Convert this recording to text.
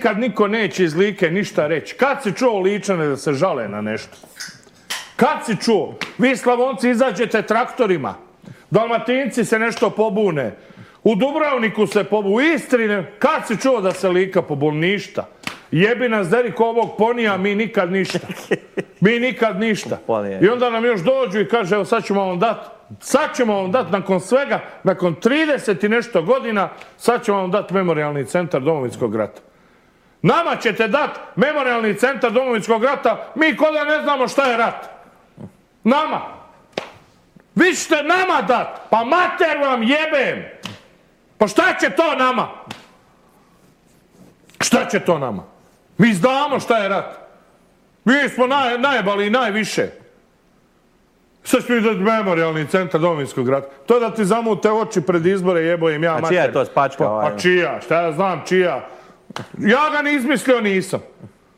nikad niko neće iz Like ništa reći. Kad si čuo Ličane da se žale na nešto? Kad si čuo? Vi Slavonci izađete traktorima. Dalmatinci se nešto pobune. U Dubrovniku se pobune. U Istri kad si čuo da se Lika pobune? Ništa. Jebi nas Deriko ovog ponija, mi nikad ništa. Mi nikad ništa. I onda nam još dođu i kaže, evo sad ćemo vam dati nakon svega, nakon 30 i nešto godina, sad ćemo vam dati memorijalni centar Domovinskog rata. Nama ćete dati memorijalni centar Domovinskog rata, mi ko da ne znamo šta je rat. Nama. Vi ćete nama dati, pa mater vam jebem. Pa šta će to nama? Šta će to nama? Mi znamo šta je rat. Mi smo najbali i najviše. Sad ću mi dati memorijalni centar Domovinskog rata. To da ti zamute oči pred izbore, jebojem ja mater. A čija je to spačka? A čija? Šta ja znam čija? Ja ga ni izmislio nisam.